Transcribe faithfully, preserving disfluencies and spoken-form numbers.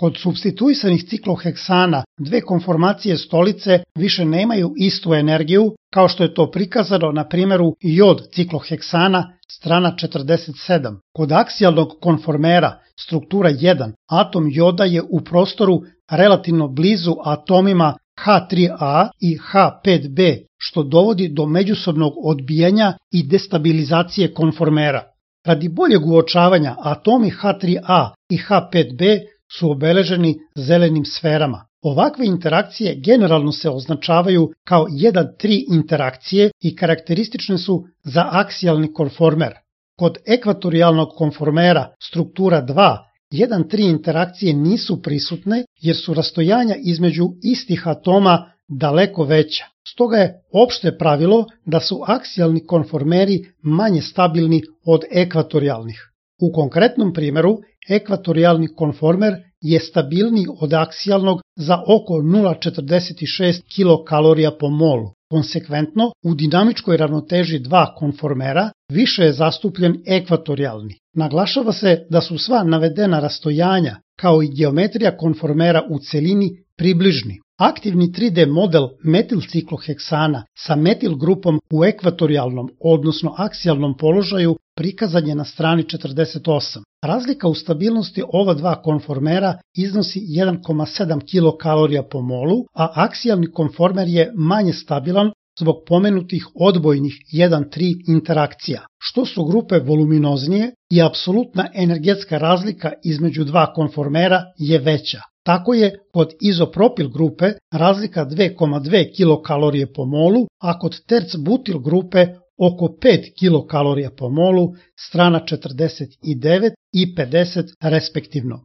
Kod supstituisanih cikloheksana dve konformacije stolice više nemaju istu energiju, kao što je to prikazano na primjeru jod cikloheksana, strana četrdeset sedam. Kod aksijalnog konformera, struktura jedan, atom joda je u prostoru relativno blizu atomima ha tri a i ha pet be, što dovodi do međusobnog odbijanja i destabilizacije konformera. Radi boljeg uočavanja, atomi ha tri a i ha pet be su obeleženi zelenim sferama. Ovakve interakcije generalno se označavaju kao jedan tri interakcije i karakteristične su za aksijalni konformer. Kod ekvatorijalnog konformera, struktura dva, jedan tri interakcije nisu prisutne jer su rastojanja između istih atoma daleko veća. Stoga je opšte pravilo da su aksijalni konformeri manje stabilni od ekvatorijalnih. U konkretnom primjeru, ekvatorijalni konformer je stabilniji od aksijalnog za oko nula zarez četrdeset šest kilokalorija po molu. Konsekventno, u dinamičkoj ravnoteži dva konformera više je zastupljen ekvatorijalni. Naglašava se da su sva navedena rastojanja, kao i geometrija konformera u celini, približni. Aktivni tri de model metilcikloheksana sa metil grupom u ekvatorijalnom, odnosno aksijalnom položaju prikazan je na strani četrdeset osam. Razlika u stabilnosti ova dva konformera iznosi jedan zarez sedam kilokalorija po molu, a aksijalni konformer je manje stabilan zbog pomenutih odbojnih jedan tri interakcija. Što su grupe voluminoznije i apsolutna energetska razlika između dva konformera je veća. Tako je kod izopropil grupe razlika dva zarez dve kilokalorije po molu, a kod terc-butil grupe oko pet kilokalorija po molu, strana četrdeset devet i pedeset respektivno.